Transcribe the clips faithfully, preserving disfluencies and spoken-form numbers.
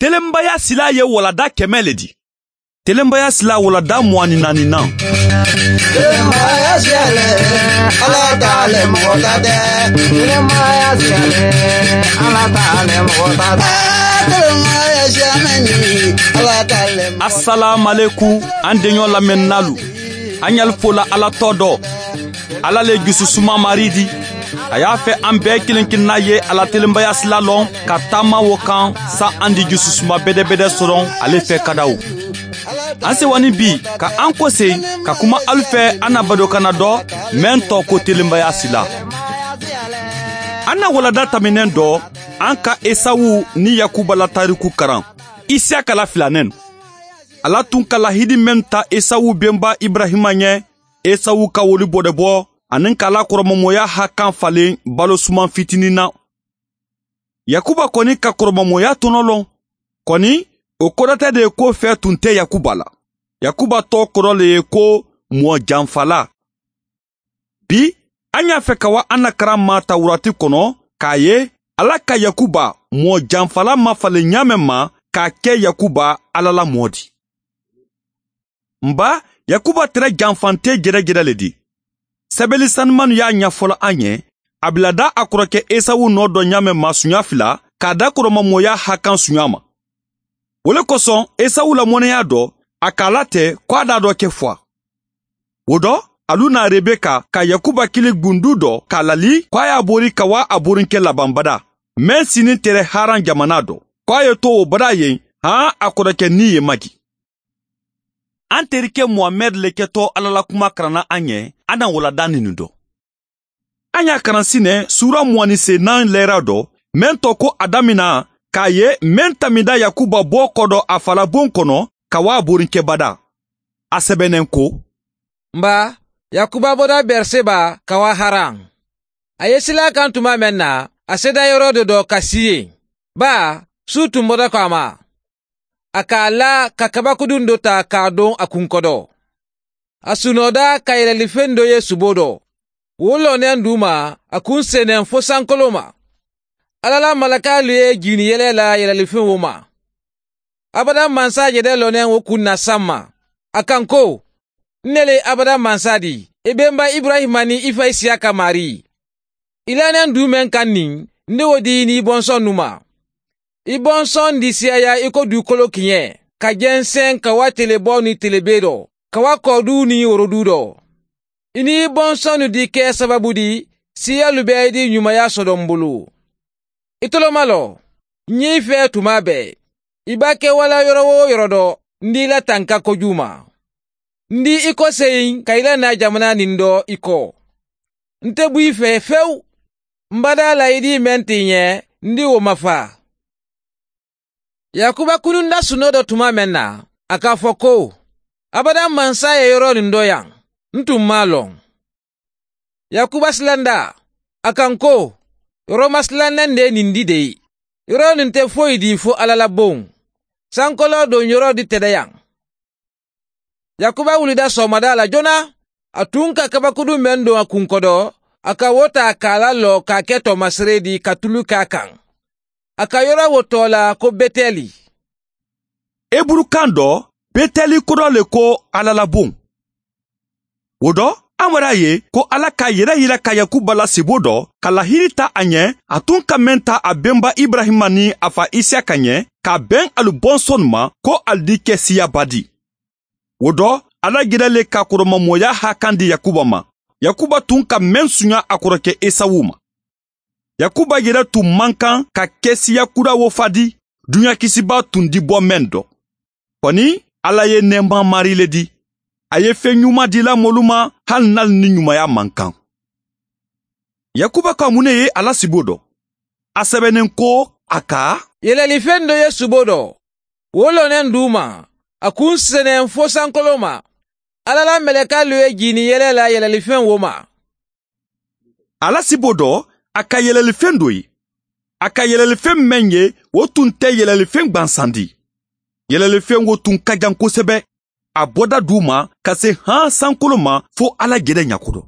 Telenbaya sila ye walada kɛmɛ le di. Telenbaya sila walada muwani naani nan. Telenbaya sila le, ala ta le mɔgɔ ta tɛ. Telenbaya sila le, ala ta le mɔgɔ ta tɛ. Telenbaya sila mɛni, ala ta le mɔgɔ ta tɛ. Asalamu aleykum, an denyɔ lamɛnnalu. An yali fola ala tɔ dɔ. Ala le jususuma mari di. A y'a fɛ an bɛɛ kelen kelenna ye ala telenbaya sila lɔn ka taama wo kan. Sa an di jususuma bedebede soron ale fɛ kadaw. An sewani bi ka an kose ka kuma alu fɛ an na badokana dɔ mɛn tɔ ko telenbaya sila. An na walada taminen dɔ, an ka esawu ni yakuba la tariku karan. Isiyaka la filanɛn. Ala tun ka lahidi mɛn ta esawu benba ibrahima ɲɛ, esawu ka woli bɔdɛbɔ ani ka ala kɔrɔmamɔya hakan falen balo suman fitinin na. Yakuba kɔni ka kɔrɔmamɔya tɔnɔ lɔn. Kɔni, o kɔrɔtɛ de ye ko fɛɛ tun tɛ yakuba la. Yakuba tɔɔ kɔrɔ le ye ko mɔɔ janfala. Bi, an y'a fɛ ka wa an na karan maa tawurati kɔnɔ k'a ye ala ka yakuba mɔɔ janfala mafalen ɲaamɛ ma k'a kɛ yakuba ala la mɔɔ di. N ba, yakuba tere janfante jɛrɛjɛrɛ le di. Sɛbɛli sanumanu y'a ɲɛfɔla an ye. A bila da a kɔrɔkɛ esawu nɔ dɔ ɲaamɛ ma suɲa fila k'a da kɔrɔmamɔya hakan suɲa ma. Wo le kosɔn esawu la mɔnɛya dɔ, a k'a latɛ ko a da dɔ kɛ fɔ a. Wo dɔ, alu na rebeka ka yakuba kili gundu dɔ k'a lali ko a y'a bori ka wa a borinkɛ laban bada, mɛn sinin tere haran jamana dɔ, ko a ye to wo bada yen. Han a kɔrɔkɛ ni ye magi. An terikɛ muhamɛd le kɛtɔ ala la kuma karanna an ye. An na walada ninu dɔ. An y'a karan sinɛ suura muwani se nan lɛra dɔ, mɛn tɔ ko a damina k'a ye mɛn tamida yakuba bɔ kɔ dɔ a falabon kɔnɔ ka wa borinkɛ bada. A sɛbɛnnen ko, n ba, yakuba bɔra bɛriseba ka wa haran. A ye sila kan tuma mɛn na, a seda yɔrɔ dɔ dɔ ka si yen. Ba, su tun bɔra ko a ma. A k'a la ka kabakudun dɔ ta k'a don a kunkɔdɔ. A sunɔda ka yɛlɛlifen dɔ ye subo dɔ. Wo lɔnɛn du ma, a kun senen fo sankolon ma. Ala la malakaalu ye jiini yɛlɛ la yɛlɛlifen wo ma. Abada mansa jɛdɛ lɔnɛn wo kun na samma. A kan ko, n ne le abada mansa di, i benba ibrahima ni i fa isiyaka mari. I lannɛn du men kan nin, n de wo di i ni i bɔnsɔnnu ma. I bɔnsɔn di siyaya i ko dukolo kiɲɛ, ka jɛnsɛn ka wa telebɔ ni telebe dɔ, ka wa kɔɔdu ni worodu dɔ. I ni i bɔnsɔnnu di kɛ sababu di, siyalu bɛ i di ɲumaya sɔdɔ n bolo. I tolomalɔ, n ye i fɛ tuma bɛɛ. I b'a kɛ wala yɔrɔ wo yɔrɔ dɔ, n di i la tanka kojugu ma. N di i ko seyin ka i la na jamana nin dɔ i kɔ. N tɛ bɔ i fɛ fewu. N bada la i di mɛn tɛ i ɲɛ, n di wo ma fa. Yakuba kununda suno dɔ tuma mɛn na, a k'a fɔ ko, abada mansa ye yɔrɔ nin dɔ yan, n tun m'a lɔn. Yakuba silanda, a kan ko, yɔrɔma silannen de ye nin di de ye. Yɔrɔ nin tɛ foyi di fo ala la bon. Sankolɔ don yɔrɔ di tɛdɛ yan. Yakuba wulida sɔgɔmada la joona, a tun ka kabakudu men don a kunkɔdɔ, a ka wo ta k'a la lɔ k'a kɛ tɔmasere di ka tulu k'a kan. A ka yɔrɔ wo tɔɔ la ko betɛli. Eburukan dɔ, betɛli kodɔ le ko ala la bon. Wo dɔ, an wɛrɛ a ye ko ala ka yɛrɛ yira ka yakuba la sebo dɔ ka lahiri ta a ɲɛ, a tun ka mɛn ta a benba ibrahima ni a fa isiyaka ɲɛ, ka bɛn alu bɔnsɔnnu ma ko alu di kɛ siyaba di. Wo dɔ, ala gɛrɛ le ka kɔrɔmamɔya hakan di yakuba ma. Yakuba tun ka mɛn suɲa a kɔrɔkɛ esawu ma. Yakuba yɛrɛ tun man kan ka kɛ siya kura wo fa di. Duɲa kisibaa tun di bɔ mɛn dɔ. Kɔni, ala ye nɛɛma mari le di. A ye fen ɲuman dila mɔlu ma, hali n'alu ni ɲumaya man kan. Yakuba ka mun ne ye a la sibo dɔ? A sɛbɛnnen ko a ka, yɛlɛlifen dɔ ye subo dɔ. Wo lɔnnen du ma, a kun senen fo sankolon ma. Ala la mɛlɛkalu ye jiini yɛlɛ la yɛlɛlifen wo ma. A la sibo dɔ, a ka yɛlɛlifen dɔ ye. A ka yɛlɛlifen men ye, wo tun tɛ yɛlɛlifen gbansan di. Yɛlɛlifen wo tun ka jan kosɛbɛ. A bɔda du ma ka se han sankolon ma fo ala gɛrɛ ɲakodɔ.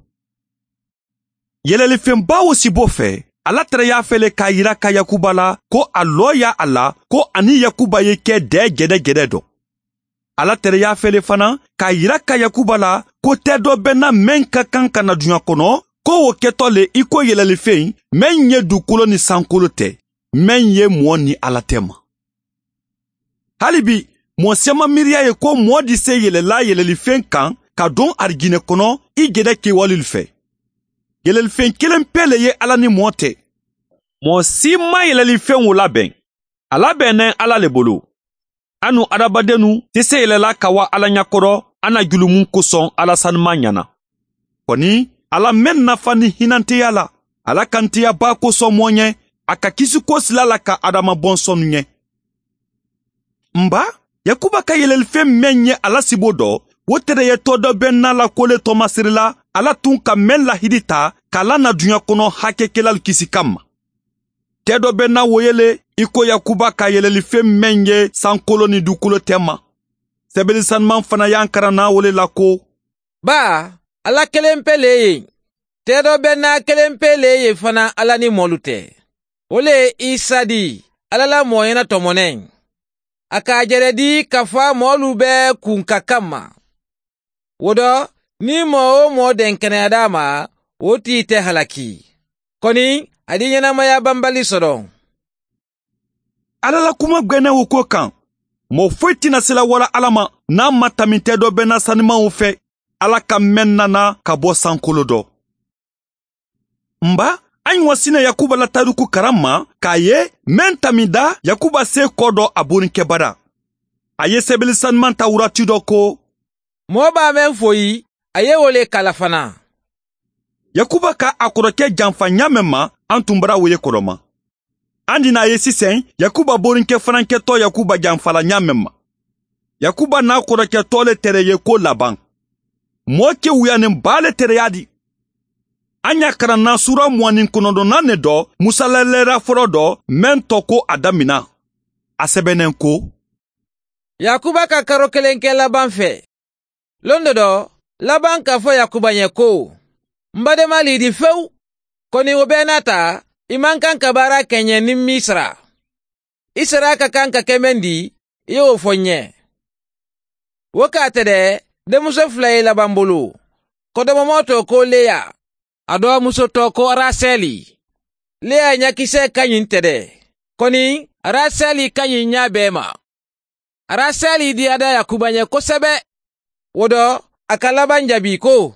Yɛlɛlifen ba wo sibo fɛ, Ala tereyaa fele k'a yira ka yakuba la ko a looyaa a la ko a niŋ yakuba ye ke dee gede gede do. Ala tereyaa fele fanaŋ k'a yira ka yakuba la ko tee doo be naa meŋ ka kaŋ ka na duɲaa kono, ko wo ketoo le i ko yelelifeŋ meŋ ye dukulo niŋ sankolo te, meŋ ye moo niŋ ala tema. Hali bi, moo si maŋ miiriyaa ye ko moo di se yelela yelelifeŋ kaŋ ka duŋ arijine kono i gede kewalelu fee. Yelelifeŋ keleŋ pee le ye ala niŋ moo te. Moo si maŋ yelelifeŋo labeŋ. A labeŋ naŋ ala le bolo. A nuŋ hadamadennu te se yelela ka waa ala ñakoto a na julumu kosoŋ ala sanimaa ñaana. Koni, ala meŋ nafa niŋ hinanteyaa la, ala kanteya baa kosoŋ moo ñe, a ka kisi ko sila la ka adama bonsonnu ñe. Mba, yakuba ka yelelifeŋ meŋ ye a la siboo do, wo tere ye too doo be naa la ko le toomasiri la, ala tuŋ ka meŋ lahidi taa ka la na duɲa kono hakekelaalu kisi kamma. Tee doo be naa wo ye le i ko yakuba ka yelelifeŋ meŋ ye sankoloo niŋ duukoloo tema. Sebelisanimaŋ fanaa ye a karaŋ naa wo le la ko, baa, alla keleŋ pee le ye. Tee doo be naa keleŋ pee le ye fanaa alla niŋ moolu te. Wo le ye isa dii, alla la mooyena tomoneŋ. A ka a jere dii ka faa moolu bee kunka kamma. Wo do, niŋ moo-wo-moo denkeneyaata a ma, wo tii te halaki. Koni, a dii ñenamaya bambali soto. Alla la kuma gbenewo ko kaŋ, moo foyi ti na sila wala alla ma niŋ a maŋ taminte doo be naa sanimaŋo fee. Alla ka meŋ nana ka bo sankolo do. Mba, a ñoo si ne yakuba la taariku karamma ka a ye meŋ tamida yakuba see koo do a borinkebada. A ye sebeli sanimaŋ tawurati do ko, moo baa meŋ foyi, a ye wo le kala fanaa. Yakuba ka a koroke janfa ñaameŋ ma, a ntun bara wo ye kodoma. Andi naa ye siseŋ, yakuba borinke fanaa ke too yakuba janfa la ñaameŋ ma. Yakuba naa koroke too le tere ye ko labaŋ. Moo ke wuyaniŋ baa le tere ye a di. A ñaa karaŋ naa suura muwaaniŋ konondonaŋ ne do, musa la leera foloo do meŋ to ko a damina. A sebeneŋ ko, yakuba ka karo keleŋ ke labaŋ fee. Londo do, labaŋ ka fo yakuba ñe ko, m bademaa liidi fewu. Koni wo bee naata, i maŋ kaŋ ka baara ke ñe niŋ misira. Isira ka kaŋ ka ke meŋ di, i ye wo fo ñe. Wo ka a tede, demuso fula ye labaŋ bulu. Kodomomoo to ko leya, a doo muso to ko raseli. Leya ñakisee kañiŋ tede, koni raseli kañiŋ ñaa bee ma. Raseli diyaata yakuba ñe kosebe. Wo do, a ka labaŋ jabi ko,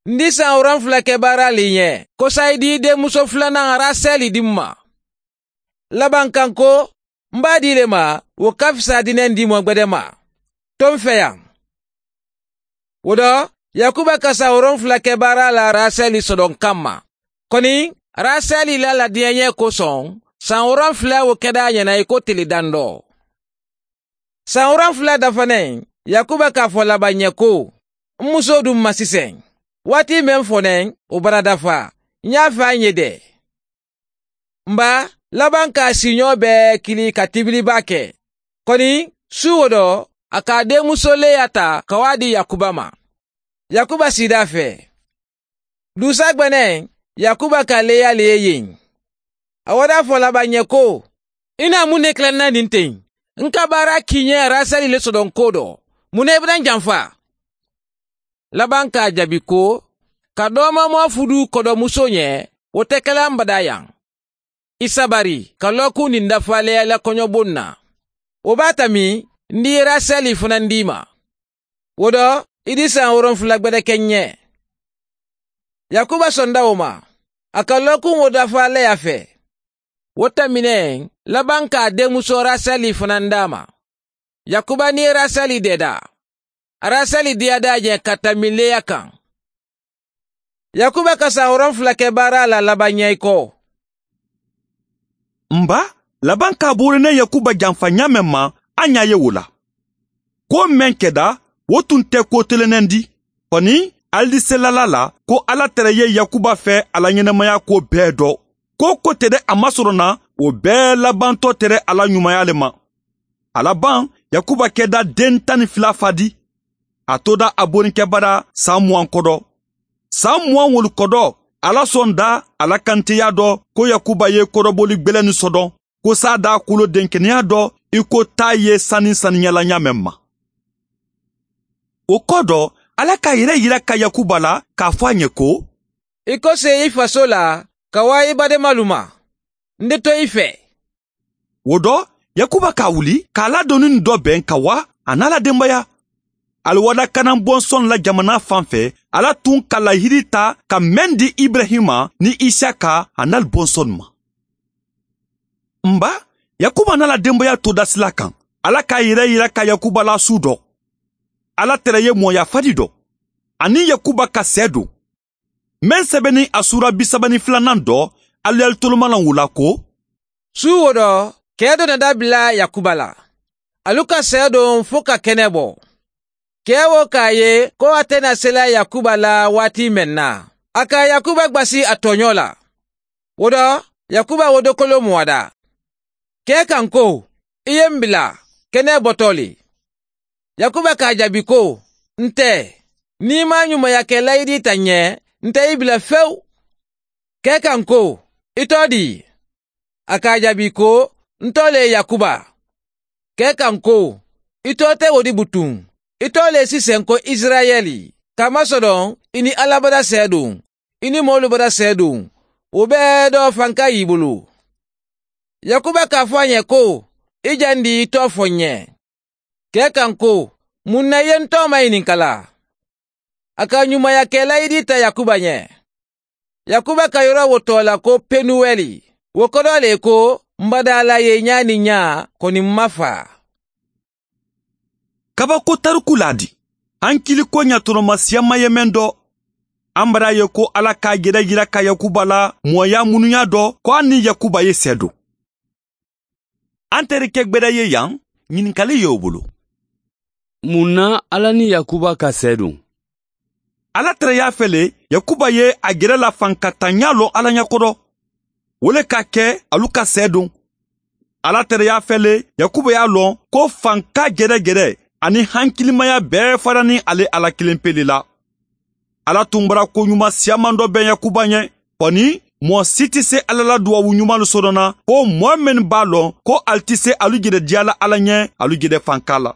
n di saŋ woronfula ke baaraalu i ñe, ko sayi dii demuso fulanaŋ raseli di m ma. Labaŋ kaŋ ko, m be a dii le ma, wo ka fisa dineŋ dimoo gbede ma. To m feyaŋ. Wo do, yakuba ka saŋ woronfula ke baaraalu la raseli sodoŋ kamma. Koni, raseli la ladiyañee kosoŋ, saŋ woronfula wo keda a ñana i ko tili dandoo. Saŋ woronfula dafaneŋ, yakuba ka a fo labaŋ ñe ko, m musoo duŋ ma siseŋ. Waati meŋ fo neŋ, wo bara dafa, ñaa faa ñe de. Mba, labaŋ ka a siiñoo bee kili ka tibiliba ke. Koni, suu wo do, a ka a deemusoo leya taa ka wo a dii yakuba ma. Yakuba siida fee. Duusa gbeneŋ, yakuba ka leya le ye yeŋ. A wo daa fo labaŋ ñe ko, i naa muŋ ne kila n na niŋ teŋ? N ka baara kii ñe raseli le sodoŋ koo do. Muŋ ne i be daŋ janfa? Labaŋ ka a jabi ko, ka doomamoo fuduu kodo musoo ñe, wo te ke la m badaa yaŋ. I sabari ka lookuŋ niŋ dafaa leya i la koñoboŋ na. Wo be a tami, n di raseli fanaa n di i ma. Wo do, i di saŋ woronfula gbede ke n ñe. Yakuba sonda wo ma, a ka lookuŋ wo dafaa leya fee. Wo tamineŋ, labaŋ ka a deemusoo raseli fanaa n daa ma. Yakuba niŋ raseli deeda. Raseli diyaata a je ka tambi leya kaŋ. Yakuba ka saŋ woronfula ke baara la labaŋ ñayi ko. Mba, labaŋ ka a boori ne yakuba janfa ñaameŋ ma, a ñaa ye wo la. Ko meŋ keda, wo tuŋ te ko telenendi. Koni, ali di selala la ko alla tere ye yakuba fee a la ñenemayaa ko bee do. Ko ko tede a masoro na, wo bee labantoo tere a la ñumaya le ma. A labaŋ, yakuba keda deŋ taŋ ni fila faa di. A tooda a borinkebada saŋ muwaŋ kodo. Saŋ muwaŋ wolu kodo, Ala sonda a la kantiyaa dɔ ko yakuba ye kɔrɔboli gbelenni sɔdɔn, ko saa daa kulo denkeneyaa dɔ i ko taa ye sani saniya la ɲaameŋ ma. Wo kɔdɔ, ala ka a yere yira ka yakuba la, k'a fo a ɲe ko, i kose i faso la ka waa i baademaalu ma. N de to i fee. Wo dɔ, yakuba k'a wuli k'a la donni dɔ beŋ ka waa a naa la denbaya. Aliwada kanan bonsɔn la jamana fan fɛ, ala tun ka lahidi ta ka meŋ di ibrahima ni isaka a naa la bonsɔn ma. N ba, yakuba naa la denbaya to dasila kan. Ala k'a yere yira ka yakuba la su dɔ. Ala tere ye mɔya fadi dɔ, aniŋ yakuba ka seedon. Meŋ sɛbɛnni a suura bisaba ni filanan dɔ, aluyali tolomalan wo la ko, su wo dɔ, kee dɔ na dabila yakuba la. Alu ka seedon fo ka kene bo. Kee wo ka a ye ko a te na sela yakuba la waati meŋ na, a ka yakuba gbasi a tooɲoo la. Wo dɔ, yakuba wo dokoloo mu a da. Kee ka n ko, i ye m bila kene botoo le. Yakuba ka a jaabi ko, n te. Niŋ i maŋ ɲumaya ke layidi ta ǹ ye, n te i bila fewu. Kee ka n ko, i too dii? A ka a jaabi ko, n too le yakuba. Kee ka n ko, i too te wo di butuŋ. I too le si senko isirayeli, ka masodoŋ i ni alabada seedun, i ni moolu bada seedun. Wo bee doo fanka ye i bulu. Yakuba ka a fo a ɲe ko, i jandi i too fo ǹ ye. Kee ka n ko, muŋ na i ye n too mayininka la? A ka ɲumaya ke layidi ta yakuba ɲe. Yakuba ka yoro wo too la ko penuweli. Wo kodoo le ko, m badaa la ye ɲaa niŋ ɲaa, koni m ma faa. Kabako tariku la di? Hankili ko ɲatoloma siyama ye meŋ do. An bara ye ko ala ka a jere yira ka yakuba la mooyaa munuyaa do ko a niŋ yakuba ye seedo. An teri ke gbeda ye yaŋ, ɲininkali ye wo bulu. Muŋ na ala niŋ yakuba ka seedo? Ala tereyaa fele, yakuba ye a jere la fankataɲaa loŋ ala ɲa kodo. Wo le ka ke alu ka seedon. Ala tereyaa fele, yakuba ye a loŋ ko fanka jere jere aniŋ hankilimaya bee fara niŋ ale ala kiliŋ pele la. Ala tun bara ko ɲuma siyaman do beŋ yakuba ɲe. Koni, moo si ti se ala la duwawu ɲumalu soto na ko moo mennu b'a loŋ ko ali ti se alu jede diya la ala ɲe, alu jede fanka la.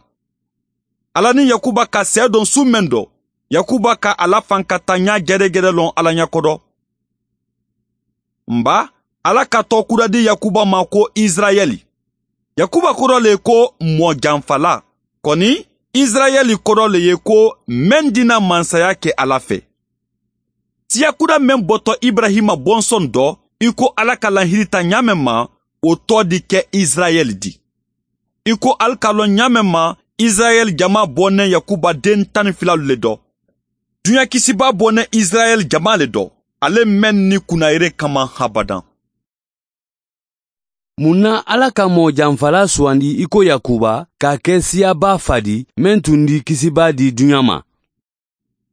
Ala niŋ yakuba ka seedoŋ su meŋ do, yakuba ka a la fankataɲaa jere jere loŋ ala ɲa kodo. N ba, ala ka tookuda di yakuba ma ko isirayeli. Yakuba kodo le ye ko moo janfala. Koni, isirayeli kodo le ye ko meŋ dina mansaya ke ala fe. Siyakuda meŋ boto ibrahima bonsɔn do, i ko ala ka lahidi ta ɲaameŋ ma, wo too di ke isirayeli di. I ko ali ka loŋ ɲaameŋ ma, isirayeli jamaa boneŋ yakuba den tan ni filalu le do. Duɲa kisibaa boneŋ isirayeli jamaa le do, ale meŋ ni kunnayere ka maŋ habadaŋ. Muŋ na ala ka moo janfalaa suwandi i ko yakuba, ka a ke siya baa fa di, meŋ tun di kisibaa di duɲa ma?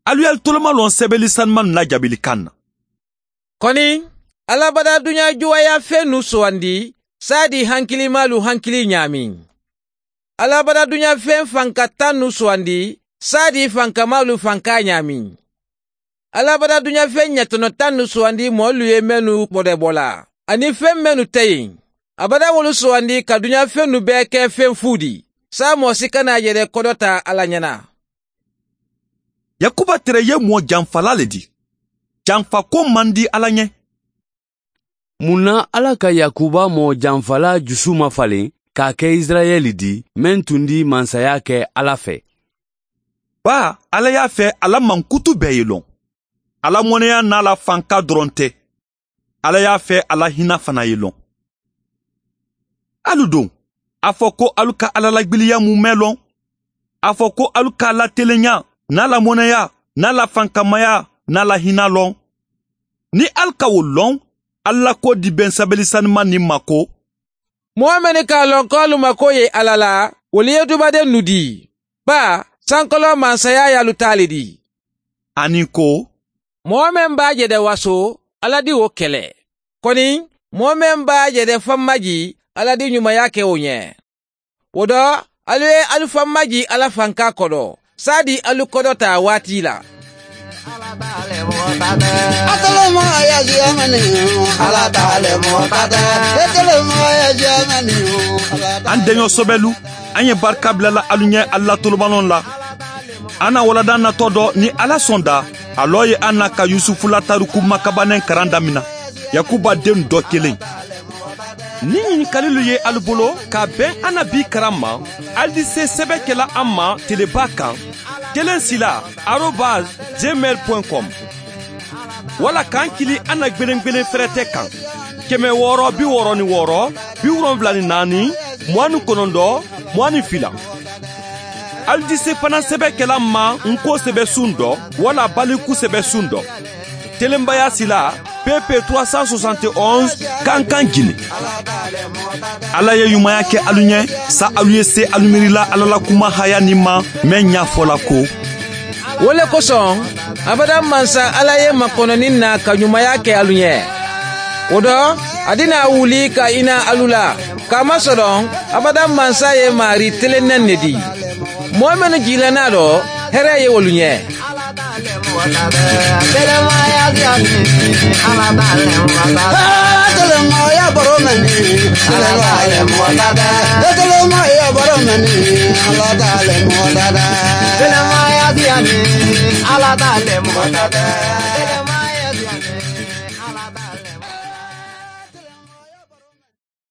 Alu ye ali toloma loŋ sebeli sanimaŋ na jaabili kaŋ na. Koni, alabada duɲa juwayaafennu suwandi, saadi hankilimaalu hankili ɲaameŋ. Alabada duɲa feŋ fanka tannu suwandi, saadi fankamaalu fankaa ɲaameŋ. Alabada duɲa feŋ ɲatono tannu suwandi moolu ye mennu bodebo la, aniŋ feŋ mennu te yen. Abada wolu suwandi ka duɲa fennu bee ke feŋ fuudi, saamoo si kana a je de kodota alla ɲana. Yakuba tere ye moo janfala le di. Janfako man di alla ɲe. Mun na alla ka yakuba moo janfala jusu mafalen k'a ke isirayeli di, meŋ tun di mansaya ke alla fe? Baa, alla ye a fe a la mankutu bee ye loŋ. Alla moneya n'a la fanka doronte. Alla ye a fe a la hina fana ye loŋ. Alu doŋ, a fo ko alu ka alla la gbiliya mume loŋ. A fo ko alu ka a la teleɲa, n'a la moneya, n'a la fankamaya, n'a la hina loŋ. Ni alu ka wolu loŋ, alu la ko di beŋ sabeli sanimaŋ niŋ ma ko, moo mennu ka a loŋ ko alu ma ko ye alla la, wolu ye dubadennu di, baa sankoloo mansaya ye alu taa le di. Aniŋ ko, moo meŋ be a je de waso, alla di wo kele. Koni, moo meŋ be a je de fammaji, alla di ɲumaya ke wo ɲe. Wo do, alu ye alu fammaji alla fanka kodo, saadi alu kodota waati la. An deɲɔ sobɛlu, an ye barika bilala alu ɲɛ, ala tolobalon la. An na walanda natɔ dɔ, ni ala sɔnda, a lɔ ye an na ka yusufu la tariku makabanɛ karan damina, yakuba den dɔ kelen. Ni ɲininkalilu ye alu bolo ka bɛn an na bi karan ma, alu di se sɛbɛkɛla an ma teleba kan, kelen sila arobase gmail point com, wala k'an kili an na gbelengbelen fɛrɛtɛ kan, kɛmɛ wɔɔrɔ bi wɔɔrɔ ni wɔɔrɔ, bi wolonwula ni naani, mugan ni kɔnɔntɔn, mugan ni fila. Alu di se fana sɛbɛkɛla ma, n ko sɛbɛsun dɔ, wala baliku sɛbɛsun dɔ, telenbaya sila, pp trois cent soixante et onze, kankan jini. Ala ye ɲumanya kɛ alu ɲɛ, sa alu ye se alu miirila ala la kuma haya ni ma, mɛ ɲafɔla ko. Wo le kosɔn, abada mansa ala ye makɔnɔni na ka ɲumanya kɛ alu ɲɛ. O dɔ, a dina wuli ka i na alu la, k'a masɔrɔ abada mansa ye maari telennɛ ne di. Mɔɔ mennu jigilanna dɔ, hɛrɛ ye wolu ɲɛ.